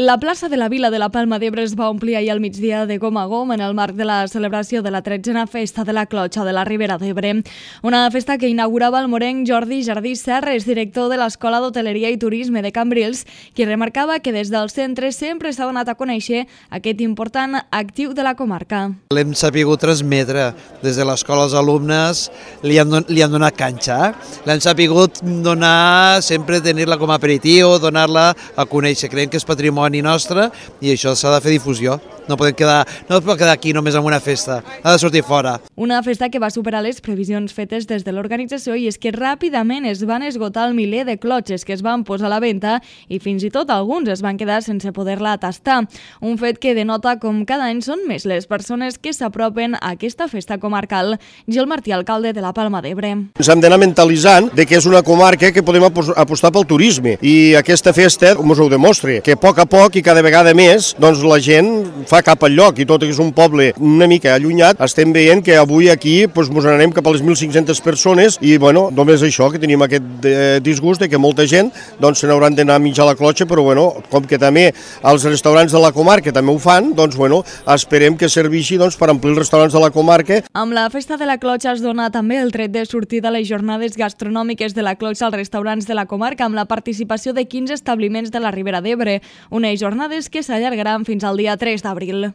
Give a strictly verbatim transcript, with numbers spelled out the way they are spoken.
La plaça de la Vila de la Palma d'Ebre es va omplir ahir al migdia de gom a gom en el marc de la celebració de la tretzena Festa de la Clotxa de la Ribera d'Ebre. Una festa que inaugurava el morenc Jordi Jardí Serres, director de l'Escola d'Hoteleria i Turisme de Cambrils, qui remarcava que des del centre sempre s'ha donat a conèixer aquest important actiu de la comarca. L'hem sapigut transmetre des de l'escola als alumnes, li han, don li han donat canxa, l'hem sapigut donar, sempre tenir-la com a aperitiu, donar-la a conèixer. Creiem que és patrimoni nostre i això s'ha de fer difusió. No podem quedar, no es pot quedar aquí només amb una festa, ha de sortir fora. Una festa que va superar les previsions fetes des de l'organització i és que ràpidament es van esgotar el miler de clotxes que es van posar a la venda i fins i tot alguns es van quedar sense poder-la tastar. Un fet que denota com cada any són més les persones que s'apropen a aquesta festa comarcal. Gil Martí, alcalde de la Palma d'Ebre. Ens hem d'anar mentalitzant de que és una comarca que podem apostar pel turisme i aquesta festa ens ho demostra, que a poc a poc i cada vegada més doncs la gent fa cap al lloc i tot que és un poble una mica allunyat, estem veient que avui aquí doncs, ens n'anem cap a les mil cinc-centes persones i bueno, només això, que tenim aquest eh, disgust de que molta gent doncs, se n'hauran d'anar a menjar la clotxa, però bueno, com que també els restaurants de la comarca també ho fan, doncs bueno, esperem que serveixi doncs, per omplir els restaurants de la comarca. Amb la festa de la clotxa es dona també el tret de sortir de les jornades gastronòmiques de la clotxa als restaurants de la comarca amb la participació de quinze establiments de la Ribera d'Ebre, unes jornades que s'allargaran fins al dia tres d'abril.